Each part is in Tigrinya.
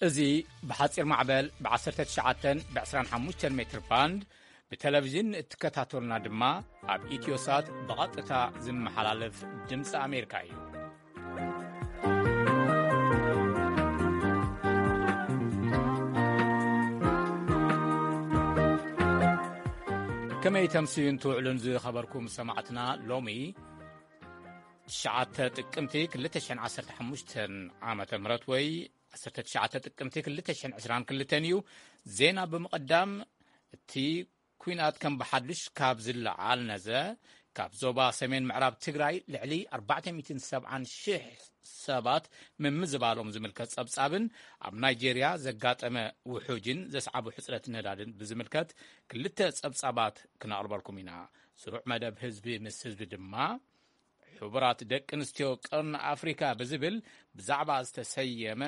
እዚ ብሓጺር ማዕበል ብ19 ብ25 ሜትር ባንድ ብቴሌቪዥን እትከታተሉና ድማ ኣብ ኢትዮሳት ብቐጥታ ዝመሓላለፍ ድምፂ ኣሜሪካ እዩ። ከመይ ተምስዩን ትውዕሉን ዝኸበርኩም ሰማዕትና፣ ሎሚ ትሽዓተ ጥቅምቲ ክልተ ሽሕን ዓሰርተ ሓሙሽተን ዓመተ ምህረት ወይ ዓሰርተ ትሽዓተ ጥቅምቲ ክልተ ሽሕን ዕስራን ክልተን እዩ። ዜና ብምቕዳም፣ እቲ ኲናት ከም ብሓዱሽ ካብ ዝለዓል ነዘ፣ ካብ ዞባ ሰሜን ምዕራብ ትግራይ ልዕሊ ኣርባዕተ ሚእትን ሰብዓን ሽሕ ሰባት ምምዝባሎም ዝምልከት ጸብጻብን ኣብ ናይጄርያ ዘጋጠመ ውሑጅን ዘስዓቡ ሕጽረት ነዳድን ብዝምልከት ክልተ ጸብጻባት ክነቕርበልኩም ኢና። ስሩዕ መደብ ህዝቢ ምስ ህዝቢ ድማ፣ ሕቡራት ደቂ ኣንስትዮ ቀርኒ ኣፍሪካ ብዝብል ብዛዕባ ዝተሰየመ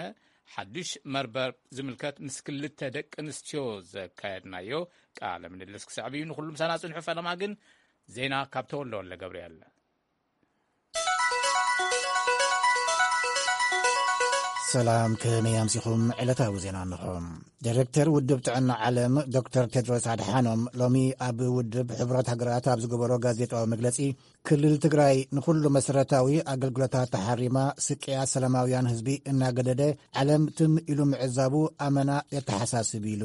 ሓዱሽ መርበብ ዝምልከት ምስ ክልተ ደቂ ኣንስትዮ ዘካየድናዮ ቃለ ምልልስ ክስዕብ እዩ። ንኹሉ ምሳና ጽንሑ። ፈለማ ግን ዜና ካብ ተወልደ ወልደ ገብርኤል። ሰላም፣ ከመይ ኣምሲኹም? ዕለታዊ ዜና እንሆ። ዳይሬክተር ውድብ ጥዕና ዓለም ዶክተር ቴድሮስ ኣድሓኖም ሎሚ ኣብ ውድብ ሕቡራት ሃገራት ኣብ ዝገበሮ ጋዜጣዊ መግለጺ፣ ክልል ትግራይ ንኹሉ መሰረታዊ ኣገልግሎታት ተሓሪማ፣ ስቅያ ሰላማውያን ህዝቢ እናገደደ፣ ዓለም ትም ኢሉ ምዕዛቡ ኣመና የተሓሳስብ ኢሉ።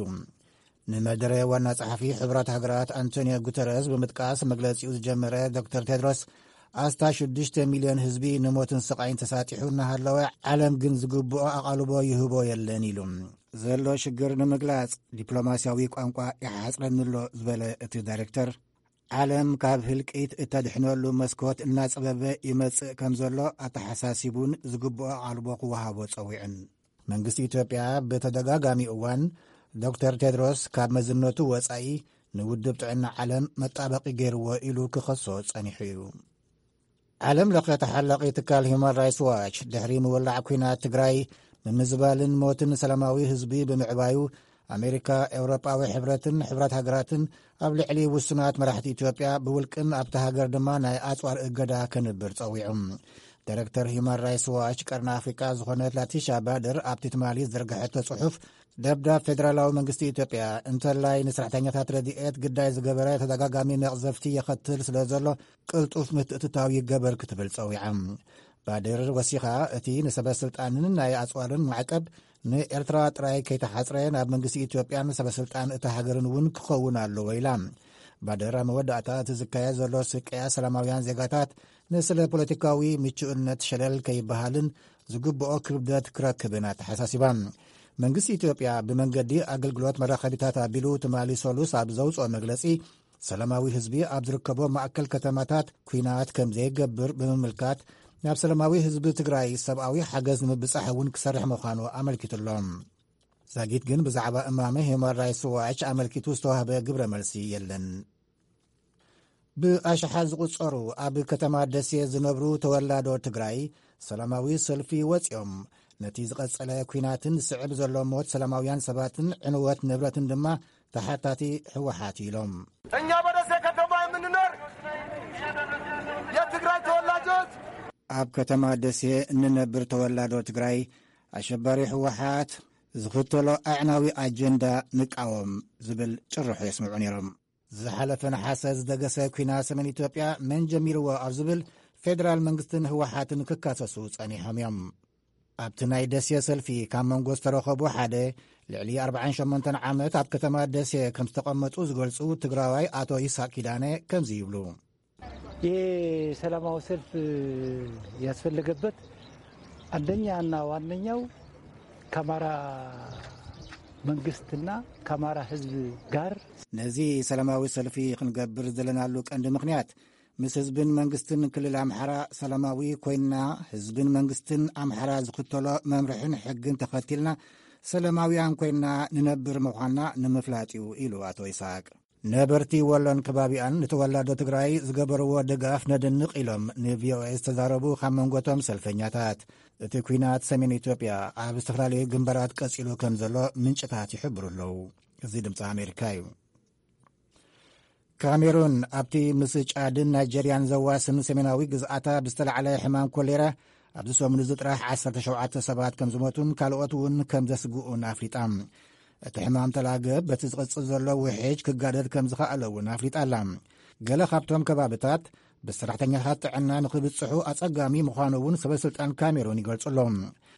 ንመደረ ዋና ጸሓፊ ሕቡራት ሃገራት ኣንቶኒዮ ጉተረስ ብምጥቃስ መግለጺኡ ዝጀመረ ዶክተር ቴድሮስ፣ ኣስታ ሽዱሽተ ሚልዮን ህዝቢ ንሞትን ስቓይን ተሳጢሑ እናሃለወ፣ ዓለም ግን ዝግብኦ ኣቓልቦ ይህቦ የለን ኢሉ። ዘሎ ሽግር ንምግላጽ ዲፕሎማስያዊ ቋንቋ ይሓጽረኒ ኣሎ ዝበለ እቲ ዳይሬክተር፣ ዓለም ካብ ህልቂት እተድሕነሉ መስኮት እናጸበበ ይመጽእ ከም ዘሎ ኣተሓሳሲቡን ዝግብኦ ኣቓልቦ ክወሃቦ ጸዊዑን። መንግስቲ ኢትዮጵያ ብተደጋጋሚ እዋን ዶክተር ቴድሮስ ካብ መዝነቱ ወጻኢ ንውድብ ጥዕና ዓለም መጣበቂ ገይርዎ ኢሉ ክኸሶ ጸኒሑ እዩ። ዓለም ለኸ ተሓላቒ ትካል ሂውማን ራይትስ ዋች ድሕሪ ምውላዕ ኲናት ትግራይ፣ ምምዝባልን ሞትን ሰላማዊ ህዝቢ ብምዕባዩ፣ ኣሜሪካ፣ ኤውሮጳዊ ሕብረትን ሕብራት ሃገራትን ኣብ ልዕሊ ውሱናት መራሕቲ ኢትዮጵያ ብውልቅን ኣብቲ ሃገር ድማ ናይ ኣጽዋር እገዳ ከንብር ጸዊዑ። ዳይሬክተር ሂውማን ራይትስ ዋች ቀርኒ ኣፍሪቃ ዝኾነት ላቲሻ ባድር ኣብቲ ትማሊ ዝዘርግሐቶ ጽሑፍ፣ ደብዳብ ፌደራላዊ መንግስቲ ኢትዮጵያ እንተላይ ንሰራሕተኛታት ረድኤት ግዳይ ዝገበረ ተደጋጋሚ መቕዘፍቲ የኸትል ስለ ዘሎ ቅልጡፍ ምትእትታው ይገበር ክትብል ጸዊዓ። ባድር ወሲኻ፣ እቲ ንሰበ ስልጣንን ናይ ኣጽዋርን ማዕቀብ ንኤርትራ ጥራይ ከይተሓጽረ ናብ መንግስቲ ኢትዮጵያን ሰበ ስልጣን እታ ሃገርን እውን ክኸውን ኣለዎ ኢላ። ባድር ኣብ መወዳእታ፣ እቲ ዝካየድ ዘሎ ስቅያ ሰላማውያን ዜጋታት ንስለ ፖለቲካዊ ምቹእነት ሸለል ከይበሃልን ዝግብኦ ክብደት ክረክብን ኣተሓሳሲባ። መንግስቲ ኢትዮጵያ ብመንገዲ ኣገልግሎት መራኸቢታት ኣቢሉ ትማሊ ሰሉስ ኣብ ዘውፅኦ መግለፂ፣ ሰላማዊ ህዝቢ ኣብ ዝርከቦ ማእከል ከተማታት ኲናት ከም ዘይገብር ብምምልካት፣ ናብ ሰላማዊ ህዝቢ ትግራይ ሰብኣዊ ሓገዝ ንምብጻሕ እውን ክሰርሕ ምዃኑ ኣመልኪቱ ኣሎ። ዛጊት ግን ብዛዕባ እማመ ሂውማን ራይትስ ዋች ኣመልኪቱ ዝተዋህበ ግብረ መልሲ የለን። ብኣሽሓት ዝቑጸሩ ኣብ ከተማ ደሴ ዝነብሩ ተወላዶ ትግራይ ሰላማዊ ሰልፊ ወጺኦም፣ ነቲ ዝቐጸለ ኲናትን ዝስዕብ ዘሎ ሞት ሰላማውያን ሰባትን ዕንወት ንብረትን ድማ ተሓታቲ ህወሓት ኢሎም። እኛ በደሴ ከተማ የምንኖር የትግራይ ተወላጆች፣ ኣብ ከተማ ደሴ እንነብር ተወላዶ ትግራይ፣ ኣሸባሪ ህወሓት ዝኽተሎ ኣዕናዊ ኣጀንዳ ንቃወም ዝብል ጭርሖ የስምዑ ነይሮም። ዝሓለፈ ነሓሰ ዝደገሰ ኲናት ሰሜን ኢትዮጵያ መን ጀሚርዎ ኣብ ዝብል ፌደራል መንግስትን ህወሓትን ክካሰሱ ጸኒሖም እዮም። ኣብቲ ናይ ደሴ ሰልፊ ካብ መንጎ ዝተረኸቡ ሓደ፣ ልዕሊ ኣርባዓን ሸሞንተን ዓመት ኣብ ከተማ ደሴ ከም ዝተቐመጡ ዝገልጹ ትግራዋይ ኣቶ ይስሐቅ ኪዳነ ከምዚ ይብሉ። ይህ ሰላማዊ ሰልፍ ያስፈለገበት አንደኛና ዋነኛው ከአማራ መንግስትና ከአማራ ህዝብ ጋር ነዚ ሰላማዊ ሰልፊ ክንገብር ዘለናሉ ቀንዲ ምኽንያት፣ ምስ ህዝብን መንግስትን ክልል ኣምሓራ ሰላማዊ ኮይንና፣ ህዝብን መንግስትን ኣምሓራ ዝኽተሎ መምርሕን ሕግን ተኸቲልና ሰላማውያን ኮይንና ንነብር ምዃንና ንምፍላጥ እዩ ኢሉ ኣቶ ይስሐቅ። ነበርቲ ወሎን ከባቢኣን ንተወላዶ ትግራይ ዝገበርዎ ድጋፍ ነድንቕ ኢሎም ንቪኦኤ ዝተዛረቡ ካብ መንጎቶም ሰልፈኛታት። እቲ ኲናት ሰሜን ኢትዮጵያ ኣብ ዝተፈላለዩ ግንባራት ቀጺሉ ከም ዘሎ ምንጭታት ይሕብሩ ኣለዉ። እዚ ድምፂ ኣሜሪካ እዩ። ካሜሩን ኣብቲ ምስ ጫድን ናይጀርያን ዘዋስን ሰሜናዊ ግዝኣታ ብዝተላዕለ ሕማም ኮሌራ ኣብዚ ሰሙን እዚ ጥራሕ ዓሰርተ ሸውዓተ ሰባት ከም ዝሞቱን ካልኦት እውን ከም ዘስግኡን ኣፍሊጣ። እቲ ሕማም ተላገብ በቲ ዝቕጽል ዘሎ ውሕጅ ክጋደድ ከም ዝኸኣለ እውን ኣፍሊጣ ኣላ። ገለ ካብቶም ከባብታት ብሰራሕተኛታት ጥዕና ንኽብጽሑ ኣጸጋሚ ምዃኑ እውን ሰበ ስልጣን ካሜሩን ይገልጹ ኣለዉ።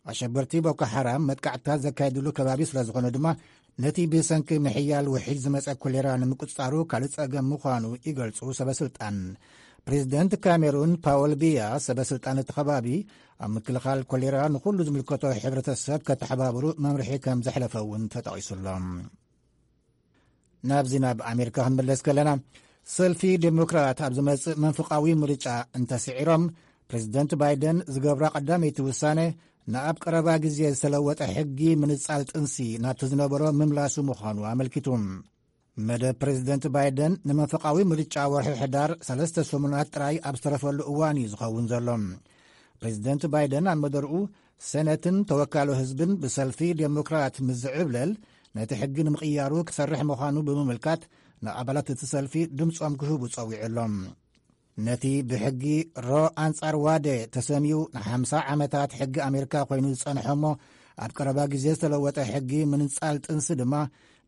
ኣሸበርቲ ቦኮ ሓራም መጥቃዕትታት ዘካየድሉ ከባቢ ስለ ዝኾነ ድማ ነቲ ብሰንኪ ምሕያል ውሕጅ ዝመጸ ኮሌራ ንምቁጽጻሩ ካልእ ጸገም ምዃኑ ይገልጹ ሰበ ስልጣን። ፕሬዚደንት ካሜሩን ፓውል ቢያ ሰበ ስልጣን እቲ ከባቢ ኣብ ምክልኻል ኮሌራ ንኹሉ ዝምልከቶ ሕብረተሰብ ከተሓባብሩ መምርሒ ከም ዘሕለፈ እውን ተጠቒሱ ኣሎ። ናብዚ ናብ ኣሜሪካ ክንምለስ ከለና፣ ሰልፊ ዴሞክራት ኣብ ዝመጽእ መንፍቓዊ ምርጫ እንተስዒሮም፣ ፕሬዚደንት ባይደን ዝገብራ ቀዳመይቲ ውሳነ ንኣብ ቀረባ ግዜ ዝተለወጠ ሕጊ ምንጻል ጥንሲ ናብቲ ዝነበሮ ምምላሱ ምዃኑ ኣመልኪቱ። መደብ ፕሬዚደንት ባይደን ንመንፈቓዊ ምርጫ ወርሒ ሕዳር ሰለስተ ሰሙናት ጥራይ ኣብ ዝተረፈሉ እዋን እዩ ዝኸውን ዘሎ። ፕሬዚደንት ባይደን ኣብ መደርኡ፣ ሰነትን ተወካሎ ህዝብን ብሰልፊ ዴሞክራት ምስ ዝዕብለል፣ ነቲ ሕጊ ንምቕያሩ ክሰርሕ ምዃኑ ብምምልካት፣ ንኣባላት እቲ ሰልፊ ድምጾም ክህቡ ጸዊዑ ኣሎ። ነቲ ብሕጊ ሮ ኣንጻር ዋደ ተሰምዩ ንሓምሳ ዓመታት ሕጊ ኣሜሪካ ኮይኑ ዝጸንሐ እሞ ኣብ ቀረባ ግዜ ዝተለወጠ ሕጊ ምንጻል ጥንሲ ድማ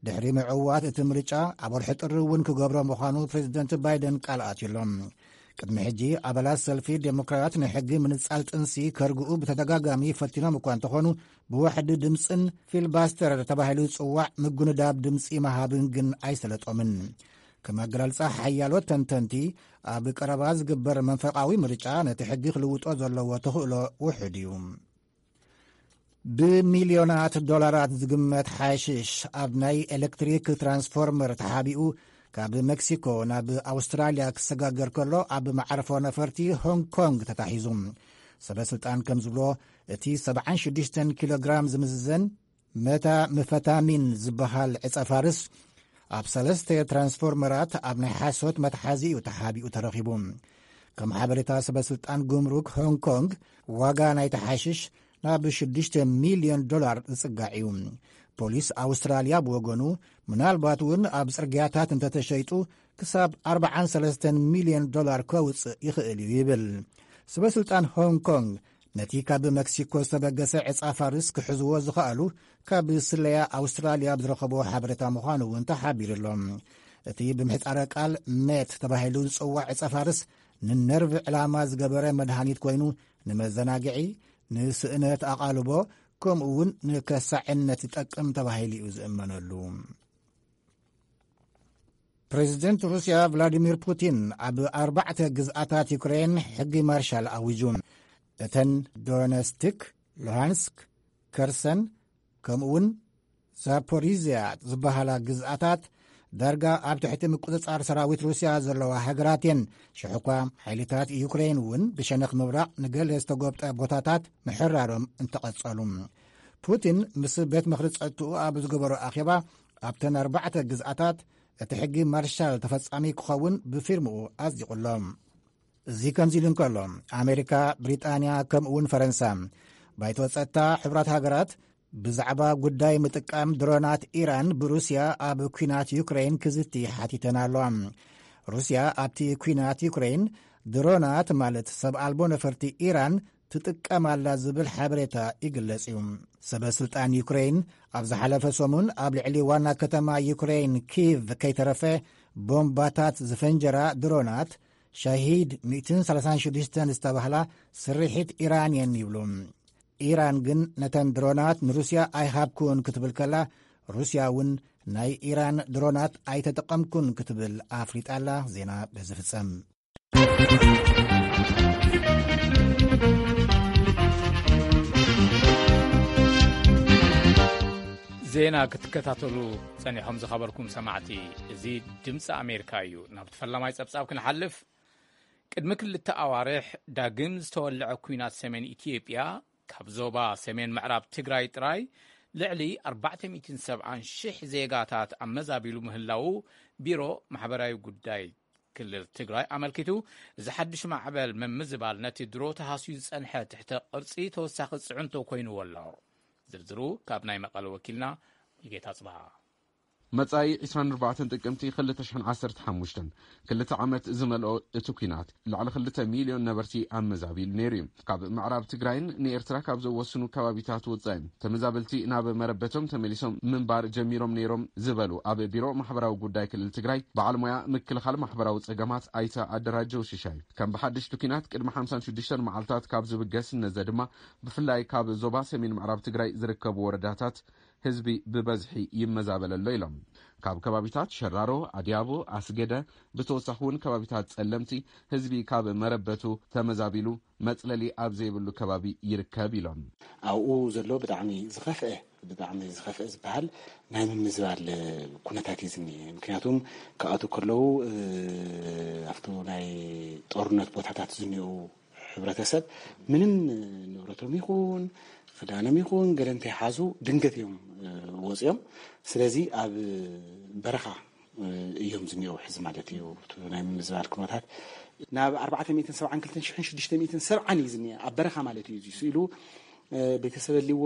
ድሕሪ ምዕዋት እቲ ምርጫ ኣብ ወርሒ ጥሪ እውን ክገብሮ ምዃኑ ፕሬዚደንት ባይደን ቃል ኣትዩ ኣሎ። ቅድሚ ሕጂ ኣባላት ሰልፊ ዴሞክራት ንሕጊ ምንጻል ጥንሲ ከርግኡ ብተደጋጋሚ ፈቲኖም እኳ እንተኾኑ፣ ብዋሕዲ ድምፅን ፊልባስተር ተባሂሉ ዝጽዋዕ ምጉንዳብ ድምፂ መሃብን ግን ኣይሰለጦምን። ከም ኣገላልጻ ሓያሎ ተንተንቲ፣ ኣብ ቀረባ ዝግበር መንፈቓዊ ምርጫ ነቲ ሕጊ ክልውጦ ዘለዎ ተኽእሎ ውሑድ እዩ። ብሚልዮናት ዶላራት ዝግመት ሓሽሽ ኣብ ናይ ኤሌክትሪክ ትራንስፎርመር ተሓቢኡ ካብ ሜክሲኮ ናብ ኣውስትራልያ ክሰጋገር ከሎ ኣብ መዓርፎ ነፈርቲ ሆንግ ኮንግ ተታሒዙ። ሰበ ስልጣን ከም ዝብሎ፣ እቲ ሰብዓን ሽዱሽተን ኪሎ ግራም ዝምዝዘን መታምፈታሚን ዝበሃል ዕጸ ፋርስ ኣብ ሰለስተ ትራንስፎርመራት ኣብ ናይ ሓሶት መትሓዚ እዩ ተሓቢኡ ተረኺቡ። ከም ሓበሬታ ሰበ ስልጣን ጉምሩክ ሆንግ ኮንግ፣ ዋጋ ናይቲ ሓሽሽ ናብ ሽዱሽተ ሚልዮን ዶላር ዝጽጋዕ እዩ። ፖሊስ ኣውስትራልያ ብወገኑ፣ ምናልባት እውን ኣብ ጽርግያታት እንተተሸይጡ ክሳብ ኣርባዓን ሰለስተን ሚልዮን ዶላር ከውጽእ ይኽእል እዩ ይብል። ሰበ ስልጣን ሆንግ ኮንግ ነቲ ካብ መክሲኮ ዝተበገሰ ዕጻ ፋርስ ክሕዝዎ ዝኸኣሉ ካብ ስለያ ኣውስትራልያ ብዝረኸቦ ሓበሬታ ምዃኑ እውን ተሓቢሩ ኣሎ። እቲ ብምሕጻረ ቃል ሜት ተባሂሉ ዝጽዋዕ ዕጸ ፋርስ ንነርቭ ዕላማ ዝገበረ መድሃኒት ኮይኑ፣ ንመዘናግዒ፣ ንስእነት ኣቓልቦ፣ ከምኡ እውን ንከሳዕነት ይጠቅም ተባሂሉ እዩ ዝእመነሉ። ፕሬዚደንት ሩስያ ቭላዲሚር ፑቲን ኣብ ኣርባዕተ ግዝኣታት ዩክሬን ሕጊ ማርሻል ኣዊጁ። እተን ዶነስቲክ፣ ሉሃንስክ፣ ከርሰን፣ ከምኡ እውን ዛፖሪዝያ ዝበሃላ ግዝኣታት ዳርጋ ኣብ ትሕቲ ምቁጽጻር ሰራዊት ሩስያ ዘለዋ ሃገራት እየን። ሽሕኳ ሓይልታት ዩክሬን እውን ብሸነኽ ምብራቕ ንገለ ዝተጎብጠ ቦታታት ምሕራሮም እንተቐጸሉ። ፑቲን ምስ ቤት ምኽሪ ጸጥትኡ ኣብ ዝገበሮ ኣኼባ፣ ኣብተን ኣርባዕተ ግዝኣታት እቲ ሕጊ ማርሻል ተፈጻሚ ክኸውን ብፊርምኡ ኣጽዲቑ ኣሎ። እዚ ከምዚ ኢሉ እንከሎ፣ ኣሜሪካ፣ ብሪጣንያ ከምኡ እውን ፈረንሳ፣ ባይቶ ጸጥታ ሕቡራት ሃገራት ብዛዕባ ጉዳይ ምጥቃም ድሮናት ኢራን ብሩስያ ኣብ ኲናት ዩክሬን ክዝቲ ሓቲተን ኣለዋ። ሩስያ ኣብቲ ኲናት ዩክሬን ድሮናት ማለት ሰብ ኣልቦ ነፈርቲ ኢራን ትጥቀም ኣላ ዝብል ሓበሬታ ይግለጽ እዩ። ሰበ ስልጣን ዩክሬን ኣብ ዝሓለፈ ሰሙን ኣብ ልዕሊ ዋና ከተማ ዩክሬን ኪቭ ከይተረፈ ቦምባታት ዝፈንጀራ ድሮናት ሻሂድ ሚእትን ሰላሳን ሽዱሽተን ዝተባህላ ስርሒት ኢራን እየን ይብሉ። ኢራን ግን ነተን ድሮናት ንሩስያ ኣይሃብኩን ክትብል ከላ፣ ሩስያ እውን ናይ ኢራን ድሮናት ኣይተጠቐምኩን ክትብል ኣፍሊጣ ኣላ። ዜና በዚ ፍጸም። ዜና ክትከታተሉ ጸኒሖም ዝኸበርኩም ሰማዕቲ፣ እዚ ድምፂ ኣሜሪካ እዩ። ናብቲ ፈላማይ ጸብጻብ ክንሓልፍ፣ ቅድሚ ክልተ ኣዋርሕ ዳግም ዝተወልዐ ኲናት ሰሜን ኢትዮጵያ፣ ካብ ዞባ ሰሜን ምዕራብ ትግራይ ጥራይ ልዕሊ ኣርባዕተ ሚእትን ሰብዓን ሽሕ ዜጋታት ኣመዛቢሉ ምህላዉ ቢሮ ማሕበራዊ ጉዳይ ክልል ትግራይ ኣመልኪቱ፣ እዚ ሓድሽ ማዕበል ምምዝባል ነቲ ድሮ ተሃስዩ ዝጸንሐ ትሕተ ቅርጺ ተወሳኺ ጽዕንቶ ኮይንዎ ኣሎ። ዝርዝሩ ካብ ናይ መቐለ ወኪልና ሙሉጌታ ጽብሃ። መጻኢ ዕስራን ኣርባዕተን ጥቅምቲ ክልተ ሽሕን ዓሰርተ ሓሙሽተን፣ ክልተ ዓመት ዝመልኦ እቲ ኲናት፣ ልዕሊ ክልተ ሚልዮን ነበርቲ ኣመዛቢሉ ነይሩ እዩ። ካብ ምዕራብ ትግራይን ንኤርትራ ካብ ዘወስኑ ከባቢታት ወጻኢ፣ ተመዛበልቲ ናብ መረበቶም ተመሊሶም ምንባር ጀሚሮም ነይሮም ዝበሉ ኣብ ቢሮ ማሕበራዊ ጉዳይ ክልል ትግራይ በዓል ሞያ ምክልኻል ማሕበራዊ ጸገማት ኣይተ ኣደራጀው ሽሻይ፣ ከም ብሓድሽ እቲ ኲናት ቅድሚ ሓምሳን ሽዱሽተን መዓልታት ካብ ዝብገስ ነዘ ድማ፣ ብፍላይ ካብ ዞባ ሰሜን ምዕራብ ትግራይ ዝርከቡ ወረዳታት ህዝቢ ብበዝሒ ይመዛበል ኣሎ ኢሎም። ካብ ከባቢታት ሸራሮ፣ ኣድያቦ፣ ኣስገደ፣ ብተወሳኺ እውን ከባቢታት ጸለምቲ ህዝቢ ካብ መረበቱ ተመዛቢሉ መጽለሊ ኣብ ዘይብሉ ከባቢ ይርከብ ኢሎም። ኣብኡ ዘሎ ብጣዕሚ ዝኸፍአ፣ ብጣዕሚ ዝኸፍአ ዝበሃል ናይ ምምዝባል ኩነታት እዩ ዝኒኤ። ምክንያቱም ክኣትዉ ከለዉ፣ እ፣ ኣብቲ ናይ ጦርነት ቦታታት ዝኒኡ ሕብረተሰብ ምንም ንብረቶም ይኹን ክዳኖም ይኹን ገለ እንተይሓዙ ድንገት እዮም፣ እ፣ ወፂኦም። ስለዚ ኣብ በረኻ፣ እ፣ እዮም ዝኒአው ሕዚ ማለት እዩ። እቲ ናይ ምምዝባል ኩነታት ናብ ኣርባዕተ ሚእትን ሰብዓን ክልተን ሽሕን ሽዱሽተ ሚእትን ሰብዓን እዩ ዝኒአ ኣብ በረኻ ማለት እዩ። እዚ ስኢሉ፣ እ፣ ቤተሰብ ኣልዎ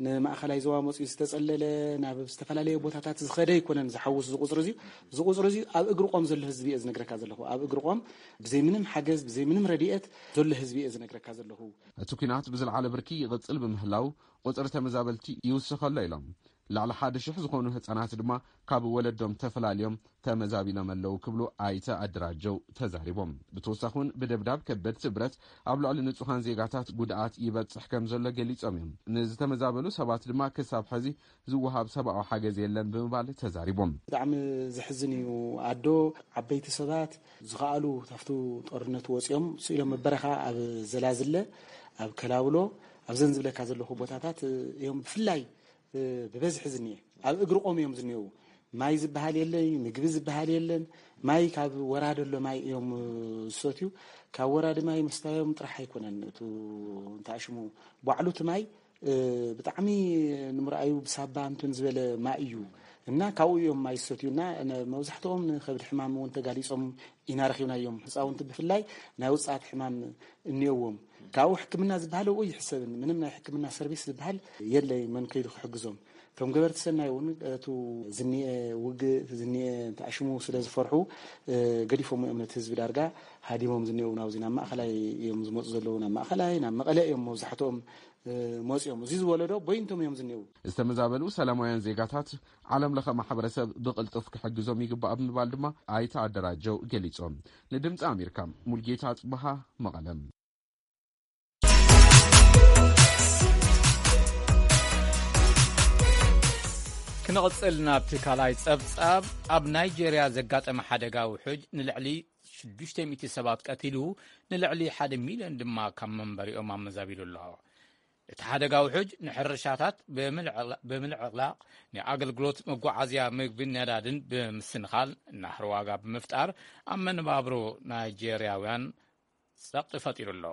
ንማእኸላይ ዞባ መፅኡ ዝተፀለለ ናብ ዝተፈላለየ ቦታታት ዝኸደ ኣይኮነን ዝሓውስ እዚ ቁፅሪ እዚ። እዚ ቁፅሪ እዚ ኣብ እግሪ ቆም ዘሎ ህዝቢ እየ ዝነግረካ ዘለኹ። ኣብ እግሪ ቆም ብዘይ ምንም ሓገዝ ብዘይ ምንም ረድኤት ዘሎ ህዝቢ እየ ዝነግረካ ዘለኹ። እቲ ኲናት ብዝለዓለ ብርኪ ይቕጽል ብምህላው፣ ቁጽሪ ተመዛበልቲ ይውስኸ ኣሎ ኢሎም። ልዕሊ ሓደ ሽሕ ዝኾኑ ህጻናት ድማ ካብ ወለዶም ተፈላልዮም ተመዛቢሎም ኣለዉ ክብሉ ኣይተ ኣደራጀው ተዛሪቦም። ብተወሳኺ እውን ብደብዳብ ከበድቲ ብረት ኣብ ልዕሊ ንጹሃን ዜጋታት ጉድኣት ይበጽሕ ከም ዘሎ ገሊጾም እዮም። ንዝተመዛበሉ ሰባት ድማ ክሳብ ሕዚ ዝወሃብ ሰብኣዊ ሓገዝ የለን ብምባል ተዛሪቦም። ብጣዕሚ ዘሕዝን እዩ። ኣዶ፣ ዓበይቲ ሰባት ዝኸኣሉ ካብቲ ጦርነት ወፂኦም ስኢሎም ኣብ በረኻ ኣብ ዘላዝለ፣ ኣብ ከላውሎ፣ ኣብዘን ዝብለካ ዘለኹ ቦታታት እዮም ብፍላይ ብበዝሒ ዝኒኤ። ኣብ እግሪ ቆም እዮም ዝኒኤው። ማይ ዝበሃል የለይ፣ ምግቢ ዝበሃል የለን። ማይ ካብ ወራዲ ኣሎ ማይ እዮም ዝሰትዩ። ካብ ወራዲ ማይ ምስታዮም ጥራሕ ኣይኮነን፣ እቱ እንታይ ሽሙ ባዕሉ እቲ ማይ፣ እ፣ ብጣዕሚ ንምርኣዩ ብሳባ እንትን ዝበለ ማይ እዩ። እና ካብኡ እዮም ማይ ዝሰትዩ። እና ነ-፣ መብዛሕትኦም ንከብዲ ሕማም እውን ተጋሊጾም ኢና ረኺብናዮም። ህፃውንቲ ብፍላይ ናይ ውፅኣት ሕማም እኒኦዎም። ካብኡ ሕክምና ዝበሃል ኣብኡ ይሕሰብን። ምንም ናይ ሕክምና ሰርቪስ ዝበሃል የለይ፣ መን ከይዱ ክሕግዞም። እቶም ገበርቲ ሰናይ እውን እቱ ዝኒኤ ውግእ፣ ዝኒኤ ተኣሽሙ ስለ ዝፈርሑ፣ እ፣ ገዲፎም እዮም ነቲ ህዝቢ ዳርጋ ሃዲሞም ዝኒኤው። ናብዚ ናብ ማእኸላይ እዮም ዝመፁ ዘለዉ፣ ናብ ማእኸላይ፣ ናብ መቐለ እዮም መብዛሕትኦም፣ እ፣ መፂኦም። እዚ ዝወለዶ ቦይንቶም እዮም ዝኒኤው። ዝተመዛበሉ ሰላማውያን ዜጋታት ዓለም ለኸ ማሕበረሰብ ብቕልጡፍ ክሕግዞም ይግባእ ብምባል ድማ ኣይተ ኣደራጀው ገሊጾም። ንድምፂ ኣሜሪካ ሙልጌታ ኣጽብሃ መቐለም። ክንቕጽል ናብቲ ካልኣይ ጸብጻብ፣ ኣብ ናይጄርያ ዘጋጠመ ሓደጋ ውሑጅ ንልዕሊ ሽዱሽተ ሚእቲ ሰባት ቀቲሉ፣ ንልዕሊ ሓደ ሚልዮን ድማ ካብ መንበሪኦም ኣመዛቢሉ ኣሎ። እቲ ሓደጋ ውሑጅ ንሕርሻታት ብምልዕላ-፣ ብምልዕላቕ፣ ንኣገልግሎት መጓዓዝያ ምግብን ነዳድን ብምስንኻል፣ ናህሪ ዋጋ ብምፍጣር፣ ኣብ መነባብሮ ናይጄርያውያን ጸቕጢ ፈጢሩ ኣሎ።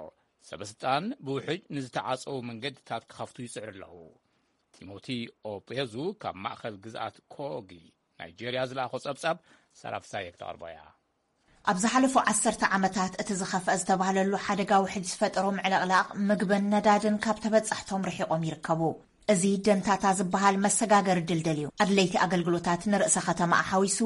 ሰበስልጣን ብውሕጅ ንዝተዓጸዉ መንገድታት ክኸፍቱ ይጽዕሩ ኣለዉ። ቲሞቲ ኦቤዙ ካብ ማእከል ግዝኣት ኮጊ ናይጄርያ ዝለኣኾ ጸብጻብ ሰራፍሳየ ክተቕርቦ እያ። ኣብ ዝሓለፉ ዓሰርተ ዓመታት እቲ ዝኸፍአ ዝተባህለሉ ሓደጋ ውሕጅ ዝፈጠሮ ምዕልቕላቕ ምግብን ነዳድን ካብ ተበጻሕቶም ርሒቖም ይርከቡ። እዚ ደንታታ ዝበሃል መሰጋገሪ ድልድል እዩ። ኣድለይቲ ኣገልግሎታት ንርእሰ ከተማ ሓዊሱ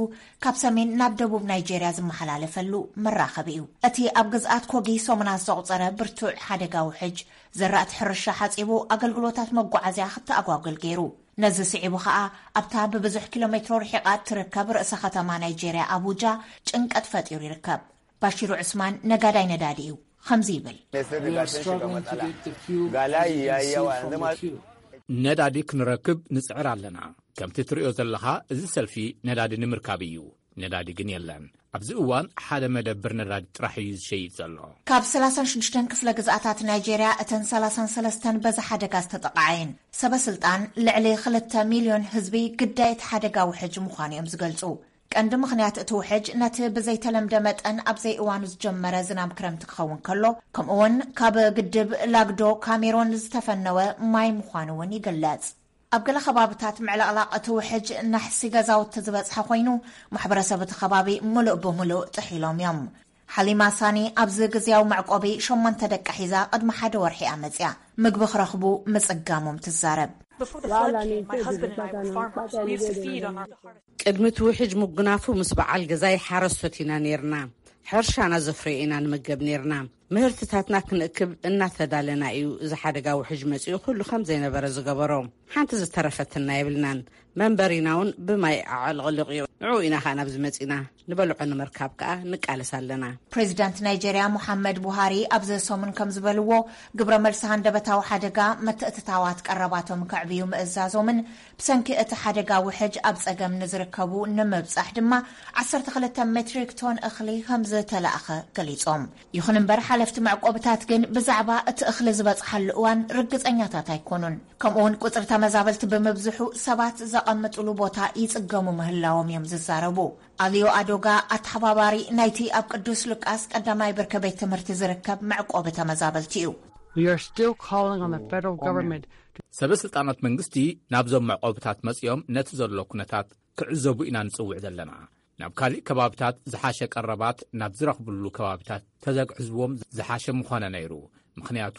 ካብ ሰሜን ናብ ደቡብ ናይጄርያ ዝመሓላለፈሉ መራኸቢ እዩ። እቲ ኣብ ግዝኣት ኮጊ ሰሙናት ዘቑጸረ ብርቱዕ ሓደጋ ውሕጅ ዘራእቲ ሕርሻ ሓጺቡ ኣገልግሎታት መጓዓዝያ ክተኣጓጉል ገይሩ። ነዚ ስዒቡ ኸኣ ኣብታ ብብዙሕ ኪሎ ሜትሮ ርሒቓ እትርከብ ርእሰ ከተማ ናይጄርያ ኣቡጃ ጭንቀት ፈጢሩ ይርከብ። ባሽሩ ዑስማን ነጋዳይ ነዳዲ እዩ። ከምዚ ይብል። We are struggling to get the fuel as you can see from the queue. ነዳዲ ክንረክብ ንጽዕር ኣለና። ከምቲ ትርእዮ ዘለኻ፣ እዚ ሰልፊ ነዳዲ ንምርካብ እዩ። ነዳዲ ግን የለን። ኣብዚ እዋን ሓደ መደብር ነዳዲ ጥራሕ እዩ ዝሸይጥ ዘሎ። ካብ ሰላሳን ሽዱሽተን ክፍለ ግዝኣታት ናይጄርያ፣ እተን ሰላሳን ሰለስተን በዚ ሓደጋ ዝተጠቕዓ እየን። ሰበ ስልጣን ልዕሊ ክልተ ሚልዮን ህዝቢ ግዳይ እቲ ሓደጋ ውሕጅ ምዃኑ እዮም ዝገልጹ። ቀንዲ ምኽንያት እቲ ውሕጅ ነቲ ብዘይተለምደ መጠን ኣብ ዘይእዋኑ ዝጀመረ ዝናም ክረምቲ ክኸውን ከሎ፣ ከምኡውን ካብ ግድብ ላግዶ ካሜሮን ዝተፈነወ ማይ ምዃኑ እውን ይግለጽ። ኣብ ገለ ከባብታት ምዕልቕላቕ እቲ ውሕጅ ናሕሲ ገዛውቲ ዝበጽሐ ኮይኑ፣ ማሕበረሰብ እቲ ከባቢ ምሉእ ብምሉእ ጥሒሎም እዮም። ሓሊማ ሳኒ ኣብዚ ግዝያዊ መዕቆቢ ሸሞንተ ደቃ ሒዛ ቅድሚ ሓደ ወርሒ እያ መጽያ። ምግቢ ክረኽቡ ምጽጋሞም ትዛረብ። ቅድሚ እቲ ውሕጅ ምጉናፉ ምስ በዓል ገዛይ ሓረስቶት ኢና ነይርና። ሕርሻና ዘፍረዮ ኢና ንመገብ ነይርና። ምህርትታትና ክንእክብ እናተዳለና እዩ እዚ ሓደጋ ውሕጅ መጺኡ ኩሉ ከም ዘይነበረ ዝገበሮ። ሓንቲ ዝተረፈትና የብልናን። መንበሪና እውን ብማይ ኣዕልቕልቕ እዩ። ንዕኡ ኢና ከኣ ናብዚ መጺና። ንበልዖ ንምርካብ ከኣ ንቃለስ ኣለና። ፕሬዚዳንት ናይጀርያ ሙሓመድ ቡሃሪ ኣብዚ ሰሙን ከም ዝበልዎ፣ ግብረ መልሲ ሃንደበታዊ ሓደጋ ምትእትታዋት ቀረባቶም ከዕብዩ ምእዛዞምን ብሰንኪ እቲ ሓደጋ ውሕጅ ኣብ ጸገም ንዝርከቡ ንምብጻሕ ድማ ዓሰርተ ክልተ ሜትሪክ ቶን እኽሊ ከም ዝተላእኸ ገሊጾም። ይኹን እምበር ሓለፍቲ መዕቆብታት ግን ብዛዕባ እቲ እኽሊ ዝበጽሓሉ እዋን ርግጸኛታት ኣይኮኑን። ከምኡውን ቁጽሪ ተመዛበልቲ ብምብዝሑ ሰባት ዘቐምጥሉ ቦታ ይጽገሙ ምህላዎም እዮም ዝዛረቡ። ኣልዮ ኣዶጋ ኣተሓባባሪ ናይቲ ኣብ ቅዱስ ሉቃስ ቀዳማይ ብርኪ ቤት ትምህርቲ ዝርከብ መዕቆቢ ተመዛበልቲ እዩ። We are still calling on the federal government. ሰበ ስልጣናት መንግስቲ ናብዞም መዕቆብታት መጺኦም ነቲ ዘሎ ኩነታት ክዕዘቡ ኢና ንጽውዕ ዘለና። ናብ ካሊእ ከባብታት ዝሓሸ ቀረባት ናብ ዝረኽብሉ ከባብታት ተዘግዕዝዎም ዝሓሸ ምኾነ ነይሩ። ምኽንያቱ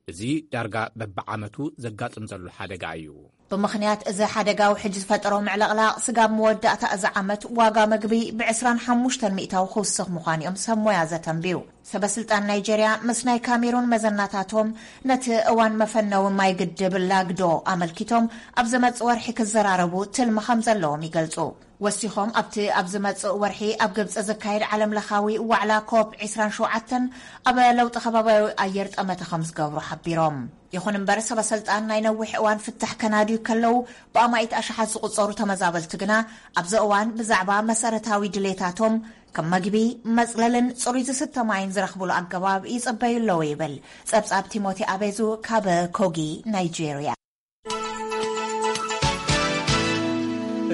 እዚ ዳርጋ በብዓመቱ ዘጋጥም ዘሎ ሓደጋ እዩ። ብምኽንያት እዚ ሓደጋ ውሕጅ ዝፈጠሮ ምዕልቕላቕ ስጋብ መወዳእታ እዚ ዓመት ዋጋ መግቢ ብ ዕስራን ሓሙሽተን ሚእታዊ ክውስኽ ምዃኑ እዮም ሰብ ሞያ ዘተንብዩ። ሰበ ስልጣን ናይጀርያ ምስ ናይ ካሜሩን መዘናታቶም ነቲ እዋን መፈነዊ ማይ ግድብ ላግዶ ኣመልኪቶም ኣብ ዝመጽእ ወርሒ ክዘራረቡ ትልሚ ከም ዘለዎም ይገልጹ። ወሲኾም ኣብቲ ኣብ ዝመጽእ ወርሒ ኣብ ግብጺ ዝካየድ ዓለም ለኻዊ ዋዕላ ኮፕ ዕስራን ሸውዓተን ኣብ ለውጢ ከባቢያዊ ኣየር ጠመተ ከም ዝገብሩ ሓቢሮም። ይኹን እምበር ሰበ ስልጣን ናይ ነዊሕ እዋን ፍታሕ ከናድዩ ከለዉ ብኣማኢት ኣሽሓት ዝቑጸሩ ተመዛበልቲ ግና ኣብዚ እዋን ብዛዕባ መሰረታዊ ድሌታቶም ከም መግቢ፣ መጽለልን ጽሩይ ዝስተ ማይን ዝረኽብሉ ኣገባብ ይጽበዩ ኣለዉ ይብል ጸብጻብ ቲሞቲ ኣቤዙ ካብ ኮጊ ናይጄርያ።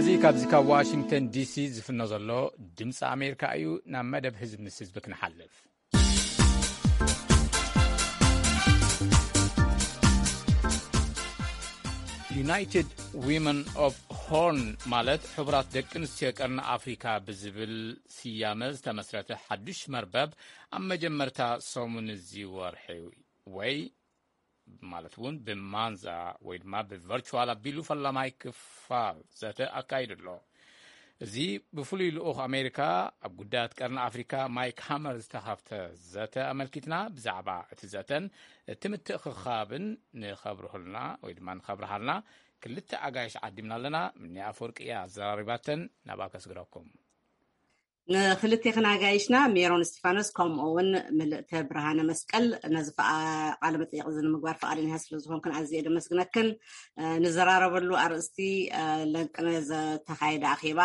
እዚ ካብዚ ካብ ዋሽንግተን ዲሲ ዝፍኖ ዘሎ ድምፂ ኣሜሪካ እዩ። ናብ መደብ ህዝብ ምስ ህዝቢ ክንሓልፍ። ዩናይትድ ዊመን ኦፍ ሆርን ማለት ሕቡራት ደቂ ኣንስትዮ ቀርኒ ኣፍሪካ ብዝብል ስያመ ዝተመስረተ ሓዱሽ መርበብ ኣብ መጀመርታ ሰሙን እዚ ወርሒ ወይ ማለት እውን ብማንዛ ወይ ድማ ብቨርቹዋል ኣቢሉ ፈላማይ ክፋል ዘተ ኣካይዱ ኣሎ። እዚ ብፍሉይ ልኡኽ ኣሜሪካ ኣብ ጉዳያት ቀርኒ ኣፍሪካ ማይክ ሃመር ዝተኻፍተ ዘተ ኣመልኪትና ብዛዕባ እቲ ዘተን እቲ ምትእኽኻብን ንኸብርሁልና ወይ ድማ ንኸብርሃልና ክልተ ኣጋይሽ ዓዲምና ኣለና። ምኒ ኣፈወርቂ እያ ኣዘራሪባተን። ናብኣ ከስግረኩም። ንክልቴክን ኣጋይሽና ሜሮን እስቲፋኖስ ከምኡ እውን ምልእተ ብርሃነ መስቀል ነዚ ቃለ መጠይቕ እዚ ንምግባር ፍቓደኛ ስለ ዝኾንክን ኣዝየ ደመስግነክን። ንዘራረበሉ ኣርእስቲ ለንቅነ ዝተኻየደ ኣኼባ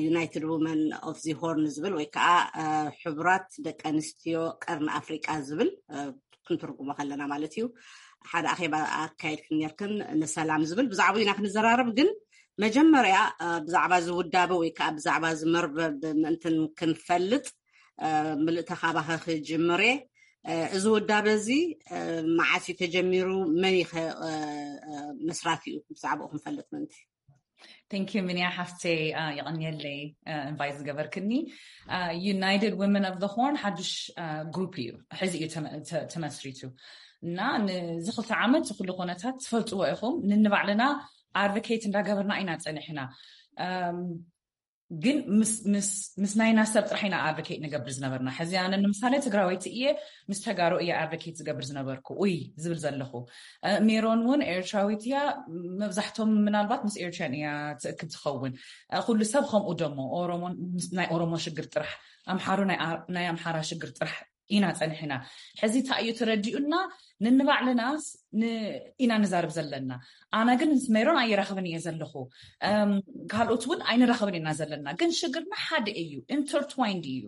ዩናይትድ ውመን ኦፍ ዚ ሆርን ዝብል ወይ ከዓ ሕቡራት ደቂ ኣንስትዮ ቀርኒ ኣፍሪቃ ዝብል ክንትርጉሞ ከለና ማለት እዩ። ሓደ ኣኼባ ኣካየድክን ነርክን ንሰላም ዝብል ብዛዕባኡ ኢና ክንዘራረብ። ግን መጀመርያ ብዛዕባ እዚ ውዳበ ወይ ከዓ ብዛዕባ እዚ መርበብ ምእንትን ክንፈልጥ ምልእተ ካባኸ ክጅምር እየ። እዚ ውዳበ እዚ መዓስ እዩ ተጀሚሩ? መን ይኸ መስራቲኡ? ብዛዕባኡ ክንፈልጥ ምእንቲ። Thank you ሚንያ ሓፍተይ፣ የቐንየለይ ኢንቫይት ዝገበርክኒ። United Women of the Horn ሓዱሽ ግሩፕ እዩ፣ ሕዚ እዩ ተመስሪቱ እና ንዚ ክልተ ዓመት ኩሉ ኩነታት ትፈልጥዎ ኢኹም። ንንባዕልና ኣድቮኬት እንዳገበርና ኢና ፀኒሕና። ግን ምስ ናይና ሰብ ጥራሕ ኢና ኣድቮኬት ንገብር ዝነበርና። ሕዚ ኣነ ንምሳሌ ትግራወይቲ እየ፣ ምስ ተጋሩ እየ ኣድቮኬት ዝገብር ዝነበርኩ። ኡይ ዝብል ዘለኹ። ሜሮን እውን ኤርትራዊት እያ። መብዛሕቶም ምናልባት ምስ ኤርትራን እያ ትእክብ ትኸውን። ኩሉ ሰብ ከምኡ ደሞ ናይ ኦሮሞ ሽግር ጥራሕ፣ ኣምሓሩ ናይ ኣምሓራ ሽግር ጥራሕ ኢና ጸኒሕና። ሕዚ እንታይ እዩ ተረዲኡና? ንንባዕልናስ ኢና ንዛርብ ዘለና። ኣነ ግን ምስ ሜሮን ኣይራኽብን እየ ዘለኹ። ካልኦት እውን ኣይንራኽብን ኢና ዘለና። ግን ሽግርና ሓደ እዩ፣ ኢንተርትዋይንድ እዩ።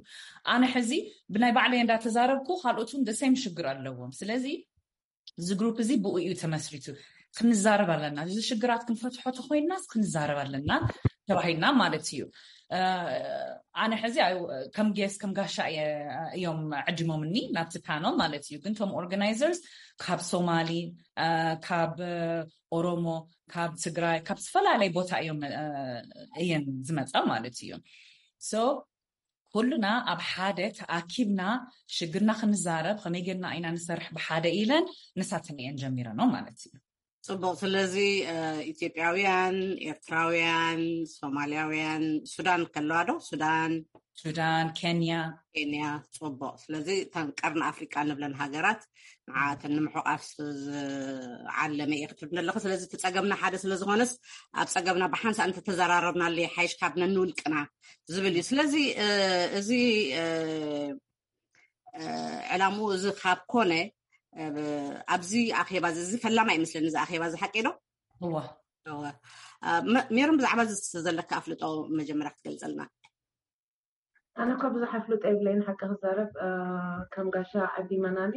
ኣነ ሕዚ ብናይ ባዕለይ እንዳተዛረብኩ ካልኦት እውን ደሴም ሽግር ኣለዎም። ስለዚ እዚ ግሩፕ እዚ ብኡ እዩ ተመስሪቱ። ክንዛረብ ኣለና። እዚ ሽግራት ክንፈትሖ ተኮይንናስ ክንዛረብ ኣለና ተባሂልና ማለት እዩ። ኣነ ሕዚ ከም ጌስ ከም ጋሻ እዮም ዕድሞምኒ ናብቲ ፓነል ማለት እዩ። ግን ቶም ኦርጋናይዘርስ ካብ ሶማሊ፣ ካብ ኦሮሞ፣ ካብ ትግራይ፣ ካብ ዝተፈላለየ ቦታ እዮም እየን ዝመፃ ማለት እዩ። ሶ ኩልና ኣብ ሓደ ተኣኪብና ሽግርና ክንዛረብ ከመይ ጌርና ኢና ንሰርሕ ብሓደ ኢለን ንሳተን እየን ጀሚረኖ ማለት እዩ። ፅቡቅ። ስለዚ ኢትዮጵያውያን፣ ኤርትራውያን፣ ሶማልያውያን፣ ሱዳን ከለዋ ዶ? ሱዳን፣ ሱዳን፣ ኬንያ። ኬንያ። ፅቡቅ። ስለዚ እተን ቀርኒ ኣፍሪቃ ንብለን ሃገራት ንዓተን ንምሕቋፍ ዝዓለመ እየ ክትብል ኣለኹ። ስለዚ እቲ ፀገምና ሓደ ስለዝኾነስ ኣብ ፀገምና ብሓንሳእ እንተተዘራረብናሉ ይሓይሽ ካብ ነንውልቅና ዝብል እዩ። ስለዚ እዚ ዕላምኡ እዚ ካብ ኮነ ኣብዚ ኣኼባ እዚ ፈላማይ ይመስለኒ። እዚ ኣኼባ እዚ ሓቂ ዶ? እዋ ሜሮን፣ ብዛዕባ እዚ ዘለካ ኣፍልጦ መጀመርያ ክትገልፀልና። ኣነ እኳ ብዙሕ ኣፍልጦ የብለይን ሓቂ ክዛረብ። ከም ጋሻ ዓዲ መናኒ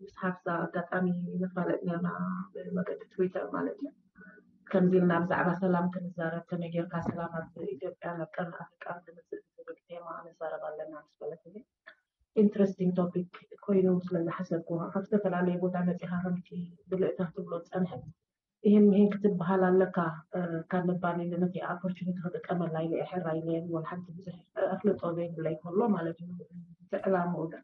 ምስ ሓፍዛ ኣጋጣሚ ንፋለጥ ነርና ብመገዲ ትዊተር ማለት እዩ። ከምዚ ኢልና ብዛዕባ ሰላም ክንዛረብ፣ ከመይ ጌርካ ሰላም ኣብ ኢትዮጵያ ናብ ቀርኒ ኣፍሪቃ ንምፅእ ዝብል ቴማ ንዛረብ ኣለና ምስ በለት፣ ኢንትረስቲንግ ቶፒክ ኮይኑ ስለዝሓሰብኩ፣ ካብ ዝተፈላለየ ቦታ መፂኻ ከምቲ ብልእታ ትብሎ ዝፀንሐ ይህን ምሂን ክትበሃል ኣለካ ካብ ምባል ኢለ ነቲ ኣፖርቹኒቲ ክጥቀመላ ኢለ እየ ሕራይ ኢለ። ወላ ሓንቲ ብዙሕ ኣፍልጦ ዘይብለይ ከሎ ማለት እዩ። እቲ ዕላምኡ ግን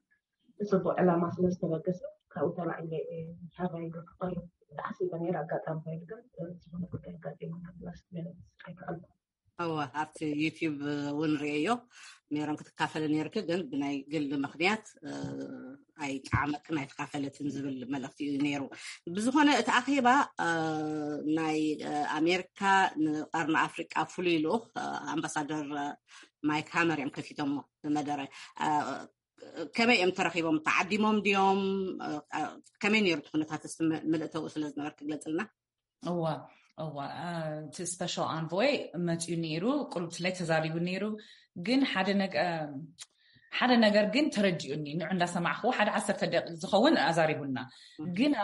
ብፅቡቅ ዕላማ ስለዝተበገሰ ካብኡ ተላዒለ እየ ሕራይ ኢለ ክቐርብ ተሓሲበ ነይረ። ኣጋጣሚ ኮይኑ ግን ዝኾነ ጉዳይ ኣጋጢሙና ላስት ሚኒት ኣይከኣልኩ። እወ ኣብቲ ዩቲዩብ እውን ርእየዮ። ሜሮን ክትካፈለ ነይርኪ ግን ብናይ ግል ምኽንያት ኣይጠዓመክን ኣይተካፈለትን ዝብል መልእኽቲ እዩ ነይሩ። ብዝኾነ እቲ ኣኼባ ናይ ኣሜሪካ ንቀርኒ ኣፍሪቃ ፍሉይ ልኡኽ ኣምባሳደር ማይክ ሃመር እዮም ከፊቶሞ ብመደረ። ከመይ እዮም ተረኺቦም? ተዓዲሞም ድዮም? ከመይ ነይሩ እቲ ኩነታት? እስቲ ምልእተኡ ስለ ዝነበርክ ግለፅልና። እዋ እዋ እቲ ስፔሻል ኣንቮይ መፅዩ ነይሩ፣ ቁልብትላይ ተዛሪቡ ነይሩ። ግን ሓደ ነገር ሓደ ነገር ግን ተረዲኡኒ። ንዑ እንዳሰማዕኽዎ ሓደ ዓሰርተ ደቂቕ ዝኸውን ኣዛሪቡና። ግና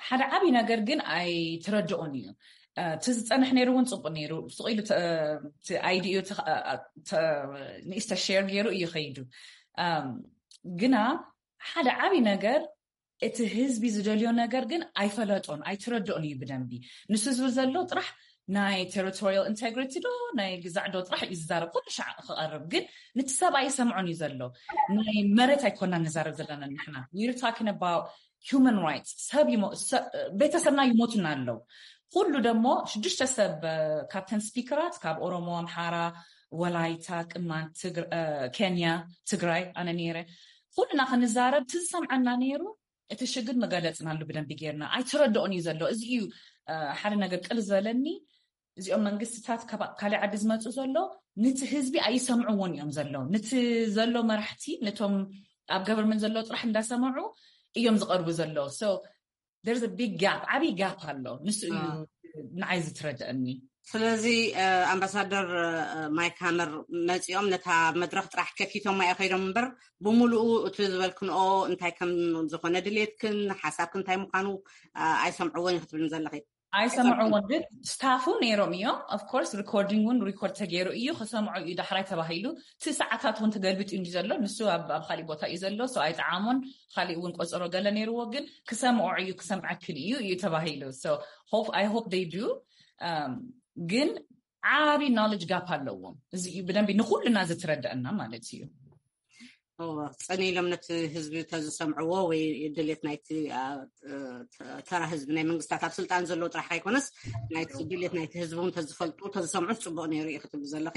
ሓደ ዓብዪ ነገር ግን ኣይተረድኦን እዩ። እቲ ዝፀንሕ ነይሩ እውን ፅቡቅ ነይሩ። ስቕ ኢሉ ኣይዲኡ ንእሽተ ሼር ገይሩ እዩ ከይዱ። ግና ሓደ ዓብዪ ነገር እቲ ህዝቢ ዝደልዮ ነገር ግን ኣይፈለጦን ኣይተረድኦን እዩ ብደንቢ። ንሱ ዝብል ዘሎ ጥራሕ ናይ ቴሪቶሪያል ኢንቴግሪቲ ዶ ናይ ግዛዕ ዶ ጥራሕ እዩ ዝዛረብ። ኩሉ ሻዕ ክቐርብ ግን ንቲ ሰብ ኣይሰምዖን እዩ ዘሎ። ናይ መሬት ኣይኮና ንዛረብ ዘለና ንሕና። We're talking about human rights። ሰብ ቤተሰብና ይሞቱና ኣለዉ። ኩሉ ደሞ ሽዱሽተ ሰብ ካብተን ስፒከራት ካብ ኦሮሞ፣ ኣምሓራ፣ ወላይታ፣ ቅማንት፣ ኬንያ፣ ትግራይ ኣነ ነይረ። ኩልና ክንዛረብ ትዝሰምዐና ነይሩ። እቲ ሽግር መገለፅናሉ ብደንቢ ጌርና ኣይተረድኦን እዩ ዘሎ። እዚ እዩ ሓደ ነገር ቅል ዝበለኒ። እዚኦም መንግስትታት ካልእ ዓዲ ዝመፁ ዘሎ ንቲ ህዝቢ ኣይሰምዕዎን እዮም ዘሎ። ንቲ ዘሎ መራሕቲ ነቶም ኣብ ገቨርንመንት ዘሎ ጥራሕ እንዳሰምዑ እዮም ዝቐርቡ ዘሎ። So there's a big gap፣ ዓብዪ ጋፕ ኣሎ። ንሱ እዩ ንዓይ ዝትረድአኒ። ስለዚ ኣምባሳደር ማይክ ሃመር መፂኦም ነታ መድረክ ጥራሕ ከፊቶማ እዮም ከይዶም እምበር ብምሉኡ እቲ ዝበልክንኦ እንታይ ከም ዝኾነ ድሌትክን ሓሳብክን እንታይ ምዃኑ ኣይሰምዕዎን እዩ ክትብልን ዘለኺ። ኣይሰምዕዎን ግን ስታፉ ነይሮም እዮም። Of course ሪኮርዲንግ እውን ሪኮርድ ተገይሩ እዩ፣ ክሰምዖ እዩ ዳሕራይ ተባሂሉ። እቲ ሰዓታት እውን ተገልቢጡ እንዲ ዘሎ ንሱ ኣብ ካሊእ ቦታ እዩ ዘሎ። So ኣይጠዓሞን። ካሊእ እውን ቆፀሮ ገለ ነይርዎ ግን ክሰምዖ እዩ ክሰምዐክን እዩ እዩ ተባሂሉ። So I hope they do። ግን ዓብዪ ኖሌጅ ጋፕ ኣለዎም። እዚ እዩ ብደንቢ ንኩልና ዝትረደአና ማለት እዩ። ጸኒ ኢሎም ነቲ ህዝቢ ተዝሰምዕዎ ወይ ድሌት ናይቲ ተራ ህዝቢ፣ ናይ መንግስታት ኣብ ስልጣን ዘለዉ ጥራሕ ኣይኮነስ ናይቲ ድሌት ናይቲ ህዝቢ እውን ተዝፈልጡ ተዝሰምዑ ጽቡቕ ነይሩ እዩ ክትብሉ ዘለኺ።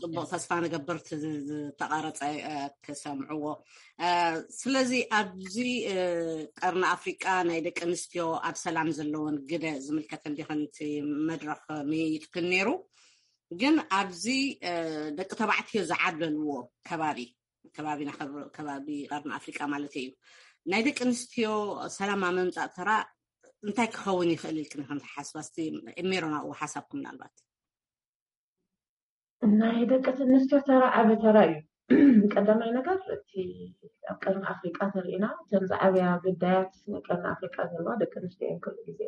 ጽቡቕ፣ ተስፋ ንገብር ዝተቓረጸ ክሰምዕዎ። ስለዚ ኣብዚ ቀርኒ ኣፍሪቃ ናይ ደቂ ኣንስትዮ ኣብ ሰላም ዘለዎን ግደ ዝምልከት እንዲኸን እቲ መድረኽ ምይይጥክን ነይሩ። ግን ኣብዚ ደቂ ተባዕትዮ ዝዓብለልዎ ከባቢ ከባቢና ከባቢ ቀርኒ ኣፍሪቃ ማለት እዩ። ናይ ደቂ ኣንስትዮ ሰላም ኣብ ምምፃእ ተራ እንታይ ክኸውን ይኽእል ኢልክን ከም ትሓስባ? እስቲ ሜሮን ኣብኡ ሓሳብኩም ምናልባት። ናይ ደቂ ኣንስትዮ ተራ ዓቢ ተራ እዩ። ቀዳማይ ነገር እቲ ኣብ ቀርኒ ኣፍሪቃ ተሪኢና እተን ዝዓብያ ግዳያት ናይ ቀርኒ ኣፍሪቃ ዘለዋ ደቂ ኣንስትዮ እየን ኩሉ ግዜ።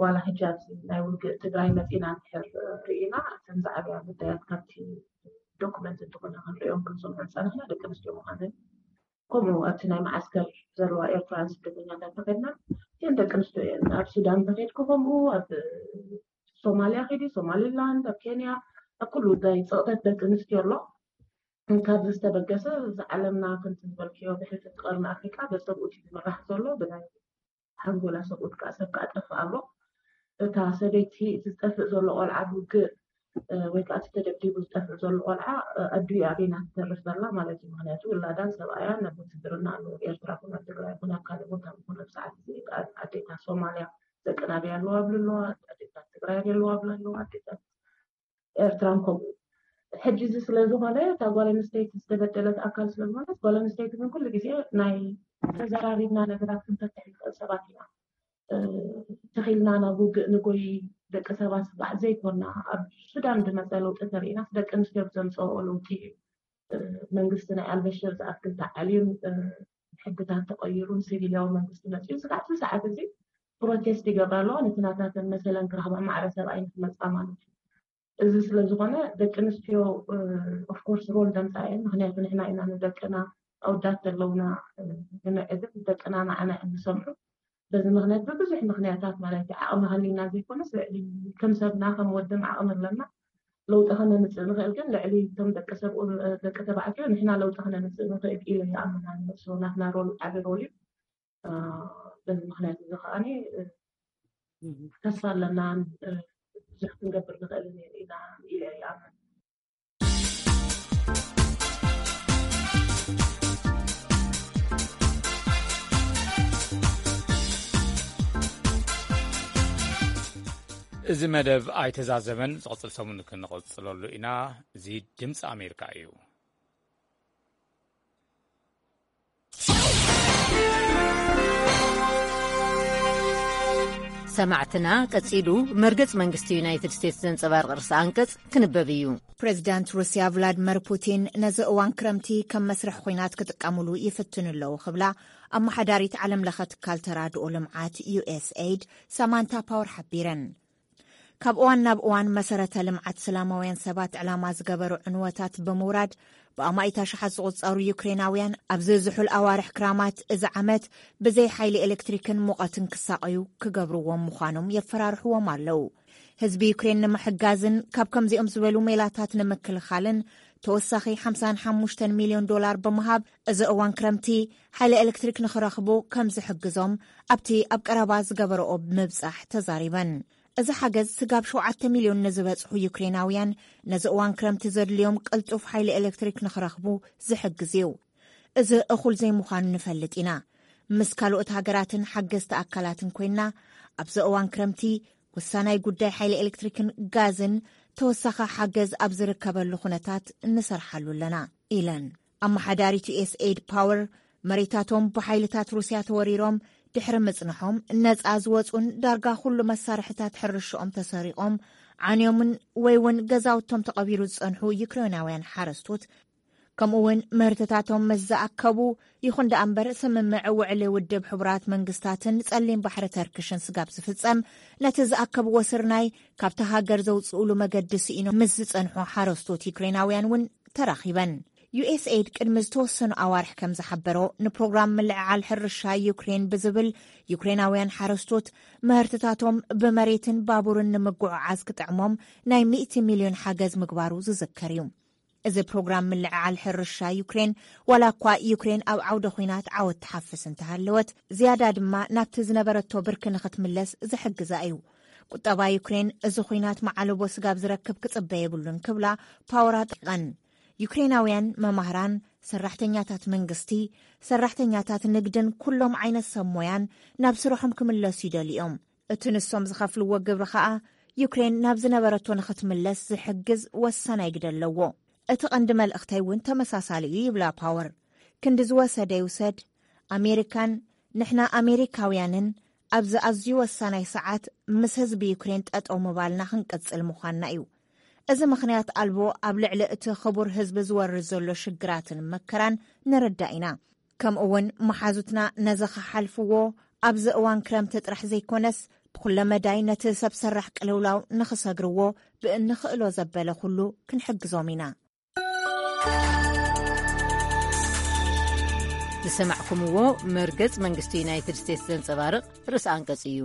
ዋላ ሕጂ ኣብዚ ናይ ውግእ ትግራይ መፂና እንድሕር ርኢና እተን ዝዓብያ ግዳያት ካብቲ ዶኩመንት እንተኾነ ክንሪኦም ክንሰምዖ ዝፀናሕና ደቂ ኣንስትዮ ምዃነን፣ ከምኡ ኣብቲ ናይ መዓስከር ዘለዋ ኤርትራውያን ስደተኛታት ተኸድና እተን ደቂ ኣንስትዮ እየን። ኣብ ሱዳን ተኸድኩ ከምኡ፣ ኣብ ሶማልያ ኸዲ፣ ሶማሊላንድ፣ ኣብ ኬንያ፣ ኣብ ኩሉ ጉዳይ ፀቕጠት ደቂ ኣንስትዮ ኣሎ። ካብዚ ዝተበገሰ፣ እዚ ዓለምና ከምቲ ዝበልክዮ ብሕልፊ እቲ ቀርኒ ኣፍሪቃ በሰብኡት እዩ ዝምራሕ ዘሎ። ብናይ ሓንጎላ ሰብኡት ከዓ ሰብ ከዓ ጠፍእ ኣሎ። እታ ሰበይቲ፣ እቲ ዝጠፍእ ዘሎ ቆልዓ ብውግእ፣ እ፣ ወይ ከዓ እቲ ተደብዲቡ ዝጠፍእ ዘሎ ቆልዓ፣ እ፣ ኣዲኡ ኣበይና ትተርፍ ዘላ ማለት እዩ። ምክንያቱ ውላዳን ሰብኣያን ኣብ ውትድርና ኣለዉ። ኤርትራ ኩን ኣብ ትግራይ ኩን ኣብ ካልእ ቦታ ኩን ኣብ ሰዓት እዚ ኣብ ኣዴታት ሶማልያ ደቂ ናበይ ኣለዋ ብሉ ኣለዋ፣ ኣዴታት ትግራይ ኣለዋ ብሉ ኣለዋ፣ ኣዴታት ኤርትራን ከምኡ። ሕጂ እዚ ስለ ዝኾነ፣ እታ ጓል ኣንስተይቲ ዝተበደለት ኣካል ስለ ዝኾነት፣ ጓል ኣንስተይቲ ግን ኩሉ ግዜ ናይ ተዘራሪብና ነገራት ክንፈትሕ ንኽእል ሰባት ኢና። እ፣ ተኺልና ናብ ውግእ ንጎይ ደቂ ሰባት ባዕ ዘይኮና፣ ኣብ ሱዳን ዝመጸ ለውጢ ተሪኢናስ ደቂ ኣንስትዮ ብዘምጸኦ ለውጢ እዩ። እ፣ መንግስቲ ናይ ኣልበሽር ዝኣክል ተዓልዩን፣ እ፣ ሕግታት ተቐይሩን ሲቪልያዊ መንግስቲ መጺኡ፣ ስጋዕ እቲ ሰዓት እዚ ፕሮቴስት ይገብራ ኣለዋ። ነቲ ናታተን መሰለን ክረኽባ ማዕረ ሰብኣይ ንክመጻ ማለት እዩ። እዚ ስለ ዝኾነ ደቂ ኣንስትዮ፣ እ፣ ኦፍኮርስ ሮል ደምጻ እየን። ምክንያቱ ንሕና ኢና ንደቅና ኣውዳት ዘለውና፣ እ፣ ንምዕብል፣ ደቅና ንዓና እዮም ዝሰምዑ። በዚ ምክንያት ብብዙሕ ምክንያታት ማለት እዩ፣ ዓቕሚ ሃሊና ዘይኮነስ ልዕሊ ከም ሰብና ከም ወድም ዓቕሚ ኣለና። ለውጢ ከነምጽእ ንኽእል ግን ልዕሊ እቶም ደቂ ሰብ፣ እ፣ ደቂ ተባዕትዮ ንሕና ለውጢ ከነምጽእ ንኽእል ኢለ ይኣምን ኣነ። ሶ ናትና ሮል ዓቢ ሮል እዩ። እ፣ በዚ ምክንያት እዚ ከኣ፣ እ፣ ተስፋ ኣለና፣ እ፣ ብዙሕ ክንገብር ንኽእል ኢና ኢለ ይኣምን። እዚ መደብ ኣይተዛዘመን፣ ዝቕጽል ሰሙን ክንቕጽለሉ ኢና። እዚ ድምፂ ኣሜሪካ እዩ። ሰማዕትና፣ ቀጺሉ መርገጽ መንግስቲ ዩናይትድ ስቴትስ ዘንጸባርቕ ርእሰ ኣንቀጽ ክንበብ እዩ። ፕሬዚዳንት ሩስያ ቭላድመር ፑቲን ነዚ እዋን ክረምቲ ከም መስርሕ ኹናት ክጥቀሙሉ ይፍትኑ ኣለዉ ክብላ ኣመሓዳሪት ዓለም ለኸ ትካል ተራድኦ ልምዓት ዩ ኤስ ኤይድ ሳማንታ ፓወር ሓቢረን። ካብ እዋን ናብ እዋን መሰረተ ልምዓት ስላማውያን ሰባት ዕላማ ዝገበሩ ዕንወታት ብምውራድ ብኣማኢት ኣሽሓት ዝቑጸሩ ዩክሬናውያን ኣብዚ ዝሑል ኣዋርሕ ክራማት እዚ ዓመት ብዘይ ሓይሊ ኤሌክትሪክን ሙቐትን ክሳቐዩ ክገብርዎም ምዃኖም የፈራርሕዎም ኣለዉ። ህዝቢ ዩክሬን ንምሕጋዝን ካብ ከምዚኦም ዝበሉ ሜላታት ንምክልኻልን ተወሳኺ ሓምሳን ሓሙሽተን ሚልዮን ዶላር ብምሃብ እዚ እዋን ክረምቲ ሓይሊ ኤሌክትሪክ ንኽረኽቡ ከም ዝሕግዞም ኣብቲ ኣብ ቀረባ ዝገበረኦ ምብጻሕ ተዛሪበን። እዚ ሓገዝ ስጋብ ሸውዓተ ሚልዮን ንዝበጽሑ ዩክሬናውያን ነዚ እዋን ክረምቲ ዘድልዮም ቅልጡፍ ሓይሊ ኤሌክትሪክ ንኽረኽቡ ዝሕግዝ እዩ። እዚ እኹል ዘይምዃኑ ንፈልጥ ኢና። ምስ ካልኦት ሃገራትን ሓገዝቲ ኣካላትን ኮይና ኣብዚ እዋን ክረምቲ ወሳናይ ጉዳይ ሓይሊ ኤሌክትሪክን ጋዝን ተወሳኺ ሓገዝ ኣብ ዝርከበሉ ኩነታት ንሰርሓሉ ኣለና ኢለን። ኣመሓዳሪት ዩ ኤስ ኤይድ ፓወር መሬታቶም ብሓይልታት ሩስያ ተወሪሮም ድሕሪ ምጽንሖም ነጻ ዝወጹን ዳርጋ ኩሉ መሳርሕታት ሕርሽኦም ተሰሪቖም ዓንዮምን ወይ እውን ገዛውቶም ተቐቢሩ ዝጸንሑ ዩክሬናውያን ሓረስቶት ከምኡ እውን ምህርትታቶም ምስ ዝኣከቡ ይኹን ደኣ እምበር ስምምዕ ውዕሊ ውድብ ሕቡራት መንግስታትን ጸሊም ባሕሪ ተርክሽን ስጋብ ዝፍጸም ነቲ ዝኣከብዎ ስርናይ ካብቲ ሃገር ዘውፅእሉ መገዲ ስኢኖም ምስ ዝጸንሑ ሓረስቶት ዩክሬናውያን እውን ተራኺበን። ዩ ኤስ ኤይድ ቅድሚ ዝተወሰኑ ኣዋርሕ ከም ዝሓበሮ ንፕሮግራም ምልዕዓል ሕርሻ ዩክሬን ብዝብል ዩክሬናውያን ሓረስቶት ምህርትታቶም ብመሬትን ባቡርን ንምጉዕዓዝ ክጥዕሞም ናይ ሚእቲ ሚልዮን ሓገዝ ምግባሩ ዝዝከር እዩ። እዚ ፕሮግራም ምልዕዓል ሕርሻ ዩክሬን ዋላ እኳ ዩክሬን ኣብ ዓውደ ኹናት ዓወት ትሓፍስ እንተሃለወት ዝያዳ ድማ ናብቲ ዝነበረቶ ብርኪ ንኽትምለስ ዝሕግዛ እዩ። ቁጠባ ዩክሬን እዚ ኹናት መዓለቦ ስጋብ ዝረክብ ክጽበ የብሉን ክብላ ፓወር ኣጠቂቐን። ዩክሬናውያን መማህራን፣ ሰራሕተኛታት መንግስቲ፣ ሰራሕተኛታት ንግድን ኩሎም ዓይነት ሰብ ሞያን ናብ ስርሖም ክምለሱ ይደልዩ እዮም። እቲ ንሶም ዝኸፍልዎ ግብሪ ኸኣ ዩክሬን ናብ ዝነበረቶ ንኽትምለስ ዝሕግዝ ወሳናይ ግደ ኣለዎ። እቲ ቀንዲ መልእኽተይ እውን ተመሳሳሊ እዩ ይብላ ፓወር። ክንዲ ዝወሰደ ይውሰድ፣ ኣሜሪካን ንሕና ኣሜሪካውያንን ኣብዚ ኣዝዩ ወሳናይ ሰዓት ምስ ህዝቢ ዩክሬን ጠጠው ምባልና ክንቅጽል ምዃንና እዩ። እዚ ምኽንያት ኣልቦ ኣብ ልዕሊ እቲ ክቡር ህዝቢ ዝወርድ ዘሎ ሽግራትን መከራን ንርዳእ ኢና። ከምኡ እውን መሓዙትና ነዚ ክሓልፍዎ ኣብዚ እዋን ክረምቲ ጥራሕ ዘይኮነስ ብኩለ መዳይ ነቲ ሰብ ሰራሕ ቅልውላው ንኽሰግርዎ ብእንኽእሎ ዘበለ ኩሉ ክንሕግዞም ኢና። ዝሰማዕኩምዎ መርገጽ መንግስቲ ዩናይትድ ስቴትስ ዘንጸባርቕ ርእሲ ኣንቀጽ እዩ።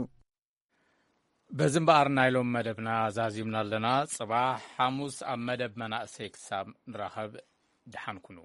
በዚ እምበኣር ናይ ሎም መደብና ዛዚምና ኣለና። ጽባሕ ሓሙስ ኣብ መደብ መናእሰይ ክሳብ ንራኸብ ደሓን ኩኑ።